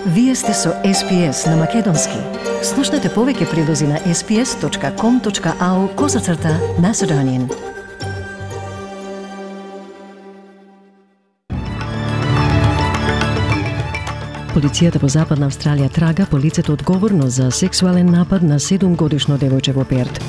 Вие сте со SPS на Македонски. Слушнете повеќе прилози на sps.com.au/Macedonian. Полицијата во Западна Австралија трага по лицето одговорно за сексуален напад на 7-годишно девојче во Перт.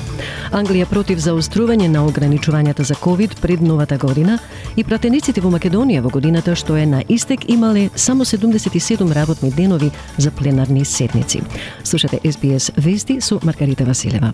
Англија против заострување на ограничувањата за COVID пред новата година и пратениците во Македонија во годината што е на истек имале само 77 работни денови за пленарни седници. Слушате SBS вести со Маргарита Василева.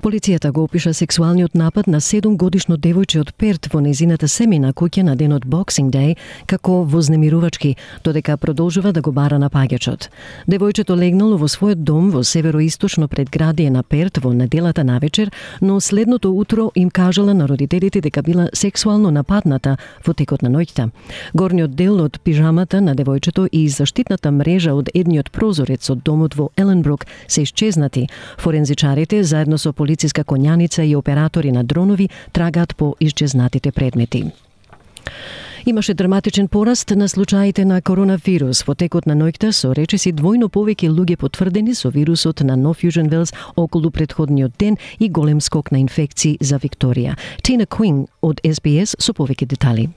Полицијата го опиша сексуалниот напад на 7-годишно девојче од Перт во незината семејна куќа на денот Boxing Day како вознемирувачки, додека продолжува да го бара напаѓачот. Девојчето легнало во својот дом во североисточно предградие на Перт во неделата навечер, но следното утро им кажала на родителите дека била сексуално нападната во текот на ноќта. Горниот дел од пижамата на девојчето и заштитната мрежа од едниот прозорец од домот во Еленбрук се исчезнати. Форензичарите заедно со полициска конјаница и оператори на дронови трагаат по исчезнатите предмети. Имаше драматичен пораст на случаите на коронавирус во текот на ноќта со речиси двојно повеќе луѓе потврдени со вирусот на Нов Јужен Велс околу претходниот ден и голем скок на инфекции за Викторија. Тина Куинг од SBS со повеќе детали.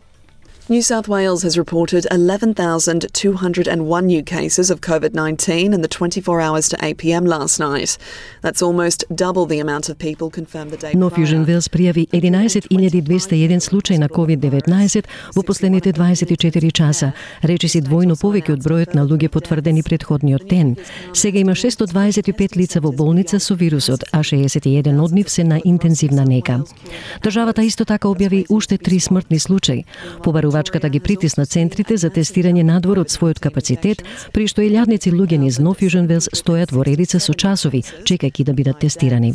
New South Wales has reported 11,201 new cases of COVID-19 in the 24 hours to 8 p.m. last night. That's almost double the amount of people confirmed the day prior. Нов Јужен Велс пријави 11.201 случаи на COVID-19 во последните 24 часа, речиси двојно повеќе од бројот на луѓе потврдени претходниот ден. Сега има 625 лица во болница со вирусот, а 61 од нив се на интензивна нега. Државата исто така објави уште 3 смртни случаи. Побарувачката ги притисна центрите за тестирање надвор од својот капацитет, при што илјадници луѓе низ Нов Јужен Велс стојат во редица со часови, чекајќи да бидат тестирани.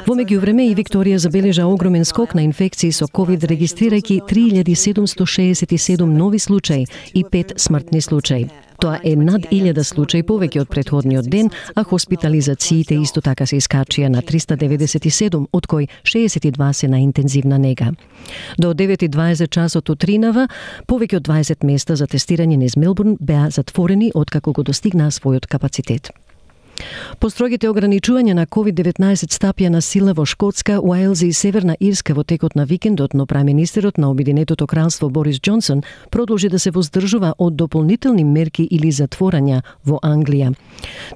Во меѓувреме и Викторија забележа огромен скок на инфекции со COVID, регистрирајќи 3767 нови случаи и 5 смртни случаи. Тоа е над 1000 случаи повеќе од претходниот ден, а хоспитализациите исто така се искачија на 397, од кои 62 се на интензивна нега. До 9:20 часот утринава, повеќе од 20 места за тестирање низ Мелбурн беа затворени откако го достигнаа својот капацитет. Построгите ограничувања на COVID-19 стапија на сила во Шкотска, Уелс и Северна Ирска во текот на викендот, но премиерот на Обединетото кралство Борис Џонсон продолжи да се воздржува од дополнителни мерки или затворања во Англија.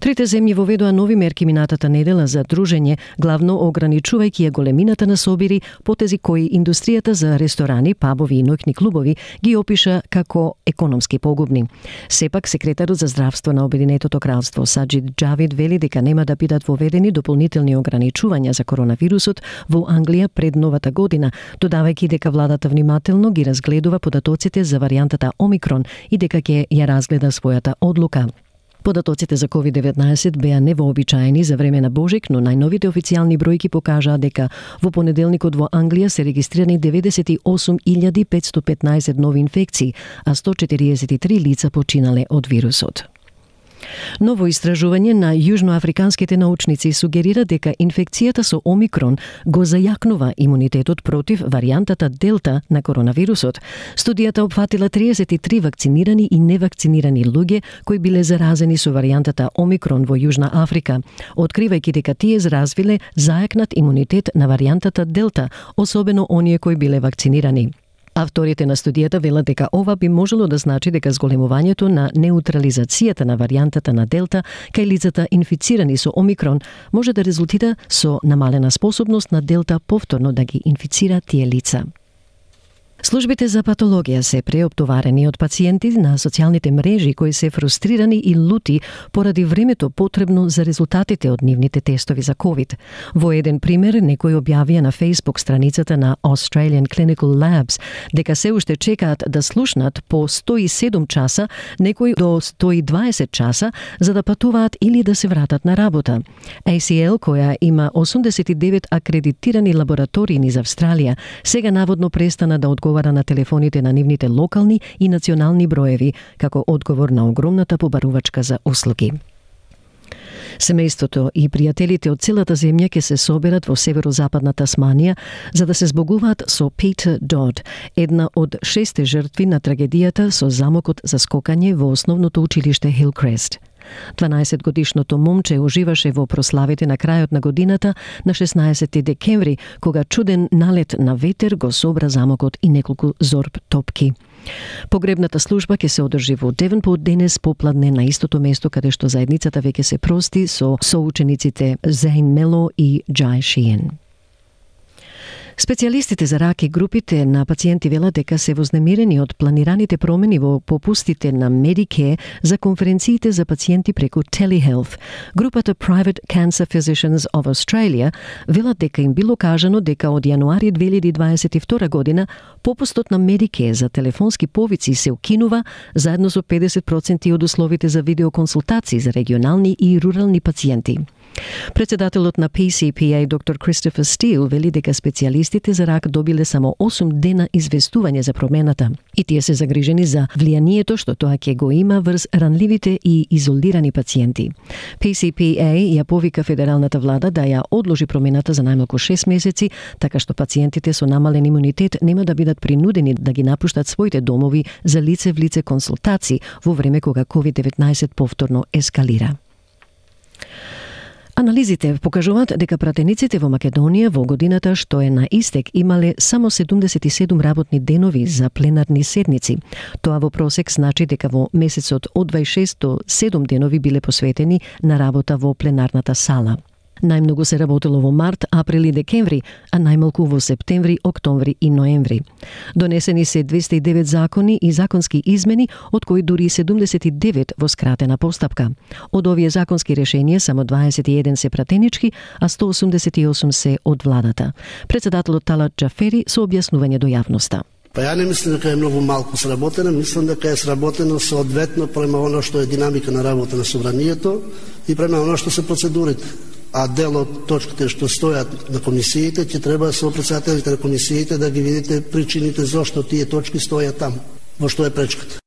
Трите земји воведоа нови мерки минатата недела за дружење, главно ограничувајќи ја големината на собири, потези кои индустријата за ресторани, пабови и ноќни клубови ги опиша како економски погубни. Сепак, секретарот за здравство на Обединетото кралство Саџид Џавид вели дека нема да бидат воведени дополнителни ограничувања за коронавирусот во Англија пред новата година, додавајќи дека владата внимателно ги разгледува податоците за варијантата Омикрон и дека ќе ја разгледа својата одлука. Податоците за COVID-19 беа невообичаени за време на Божик, но најновите официјални бројки покажаа дека во понеделникот во Англија се регистрирани 98.515 нови инфекции, а 143 лица починале од вирусот. Ново истражување на јужноафриканските научници сугерира дека инфекцијата со Омикрон го зајакнува имунитетот против варијантата Делта на коронавирусот. Студијата опфатила 33 вакцинирани и невакцинирани луѓе кои биле заразени со варијантата Омикрон во Јужна Африка, откривајќи дека тие развиле зајакнат имунитет на варијантата Делта, особено оние кои биле вакцинирани. Авторите на студијата велат дека ова би можело да значи дека зголемувањето на неутрализацијата на варијантата на Делта кај лицата инфицирани со Омикрон може да резултира со намалена способност на Делта повторно да ги инфицира тие лица. Службите за патологија се преоптоварени од пациенти на социјалните мрежи кои се фрустрирани и лути поради времето потребно за резултатите од нивните тестови за COVID. Во еден пример, некои објавија на Facebook страницата на Australian Clinical Labs дека се уште чекаат да слушнат по 107 часа, некои до 120 часа, за да патуваат или да се вратат на работа. ACL, која има 89 акредитирани лаборатории низ Австралија, сега наводно престана да одговара на телефоните на нивните локални и национални броеви, како одговор на огромната побарувачка за услуги. Семејството и пријателите од целата земја ќе се соберат во северозападна Тасманија за да се збогуваат со Peter Dodd, една од 6 жртви на трагедијата со замокот за скокање во основното училиште Hillcrest. 12-годишното момче уживаше во прославите на крајот на годината на 16 декември, кога чуден налет на ветер го собра замокот и неколку зорб топки. Погребната служба ќе се одржи во Девенпорт денес попладне на истото место каде што заедницата веќе се прости со соучениците Зейн Мело и Джај Шиен. Специјалистите за рак и групите на пациенти велат дека се вознемирени од планираните промени во попустите на Medicare за конференциите за пациенти преку Telehealth. Групата Private Cancer Physicians of Australia велат дека им било кажано дека од јануари 2022 година попустот на Medicare за телефонски повици се укинува заедно со 50% од условите за видеоконсултации за регионални и рурални пациенти. Председателот на PCPA, доктор Кристофер Стил, вели дека специјалистите за рак добиле само 8 дена известување за промената и тие се загрижени за влијанието што тоа ќе го има врз ранливите и изолирани пациенти. PCPA ја повика федералната влада да ја одложи промената за најмалку 6 месеци, така што пациентите со намален имунитет нема да бидат принудени да ги напуштат своите домови за лице в лице консултации во време кога COVID-19 повторно ескалира. Анализите покажуваат дека пратениците во Македонија во годината што е на истек имале само 77 работни денови за пленарни седници. Тоа во просек значи дека во месецот од 26 до 7 денови биле посветени на работа во пленарната сала. Најмногу се работело во март, април и декември, а најмалку во септември, октомври и ноември. Донесени се 209 закони и законски измени, од кои дури 79 во скратена постапка. Од овие законски решенија само 21 се пратенички, а 188 се од владата. Председателот Талат Џафери со објаснување до јавноста. Па ја не мислам дека е многу малку сработено, мислам дека е сработено соодветно према оно што е динамика на работа на собранието и према оно што се процедурите. А дел од точките што стојат на комисиите, ќе треба со председателите на комисиите да ги видите причините зошто тие точки стојат таму, во што е пречката.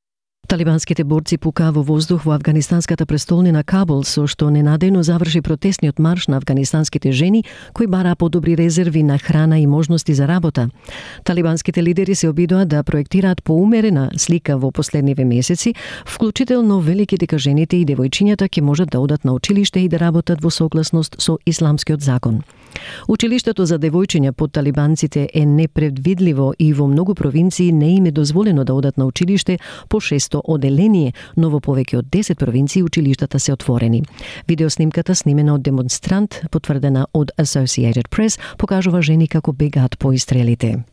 Талибанските борци пукаа во воздух во афганистанската престолнина Кабул, со што ненадејно заврши протестниот марш на афганистанските жени кои бараа подобри резерви на храна и можности за работа. Талибанските лидери се обидоа да проектираат поумерена слика во последниве месеци, вклучително велики дека жените и девојчињата ќе можат да одат на училиште и да работат во согласност со исламскиот закон. Училиштето за девојчиња под талибанците е непредвидливо и во многу провинции не им е дозволено да одат на училиште по 600 оделение, но во повеќе од 10 провинции училиштата се отворени. Видеоснимката снимена од демонстрант, потврдена од Associated Press, покажува жени како бегаат по истрелите.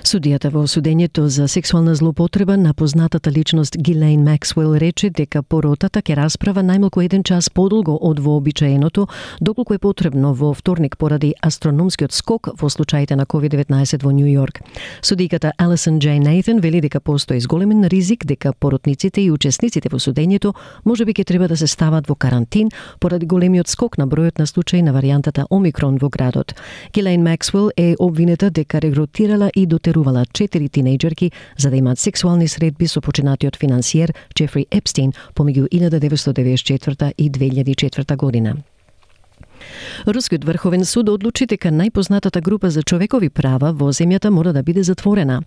Судијата во судењето за сексуална злоупотреба на познатата личност Гилейн Максвел рече дека поротата ќе расправа најмалку 1 час подолго од вообичаеното, доколку е потребно во вторник поради астрономскиот скок во случаите на COVID-19 во Нью Йорк. Судиката Алисон Џ. Нейтан вели дека постои зголемен ризик дека поротниците и учесниците во судењето можеби ќе треба да се стават во карантин поради големиот скок на бројот на случаи на варијантата Омикрон во градот. Гилейн Максвел е обвинета дека регрутирала и дотерувала 4 тинејџерки за да имаат сексуални средби со починатиот финансиер Джефри Епстин помеѓу 1994 и 2004 година. Рускиот врховен суд одлучи дека најпознатата група за човекови права во земјата мора да биде затворена.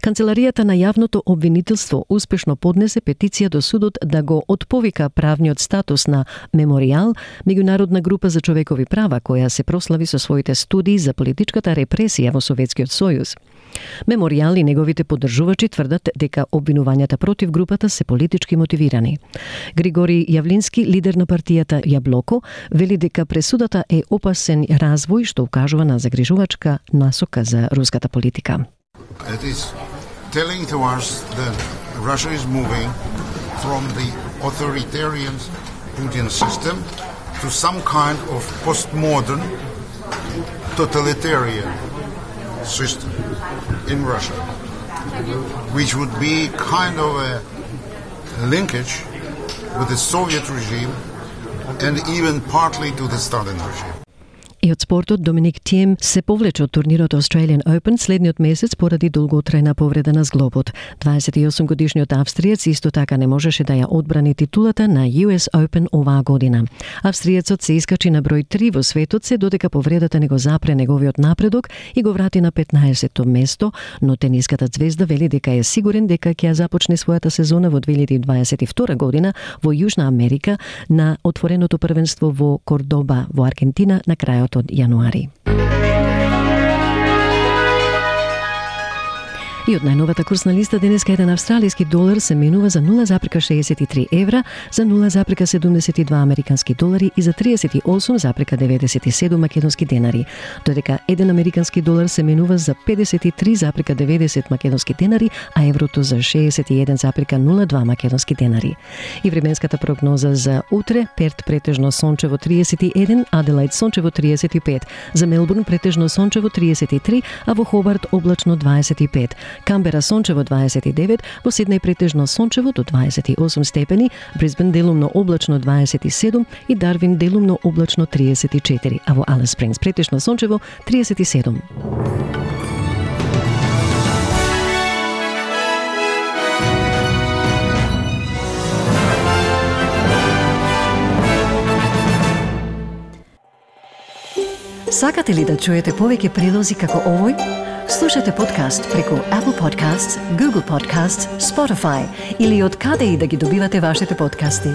Канцеларијата на јавното обвинителство успешно поднесе петиција до судот да го отповика правниот статус на Меморијал, меѓународна група за човекови права која се прослави со своите студии за политичката репресија во Советскиот сојуз. Меморијал и неговите поддржувачи тврдат дека обвинувањата против групата се политички мотивирани. Григори Јавлински, лидер на партијата Јаблоко, вели дека пресудата е опасен развој што укажува на загрижувачка насока за руската политика. It is telling to us that Russia is moving from the authoritarian Putin system to some kind of postmodern totalitarian system in Russia, which would be kind of a linkage with the Soviet regime and even partly to the Stalin regime. И од спортот, Доминик Тием се повлече од турнирот Australian Open следниот месец поради долготрајна повреда на зглобот. 28-годишниот австриец исто така не можеше да ја одбрани титулата на US Open оваа година. Австриецот се искачи на број 3 во светот се додека повредата не го запре неговиот напредок и го врати на 15-то место, но тениската звезда вели дека е сигурен дека ќе ја започне својата сезона во 2022 година во Јужна Америка на отвореното првенство во Кордоба во Аргентина на крајот од јануари. И од најновата курсна листа денеска еден австралиски долар се менува за 0,63 евра, за 0,72 американски долари и за 38,97 македонски денари, додека еден американски долар се менува за 53,90 македонски денари, а еврото за 61,02 македонски денари. И временската прогноза за утре: Перт претежно сончево 31, Аделаид сончево 35, за Мелбурн претежно сончево 33, а во Хобарт облачно 25. Камбера сончево 29, во Сиднеј претежно сончево до 28 степени, Брисбен делумно облачно 27 и Дарвин делумно облачно 34, а во Алис Спрингс претежно сончево 37. Сакате ли да чуете повеќе прилози како овој? Слушате подкаст преку Apple Podcasts, Google Podcasts, Spotify или од каде и да ги добивате вашите подкасти.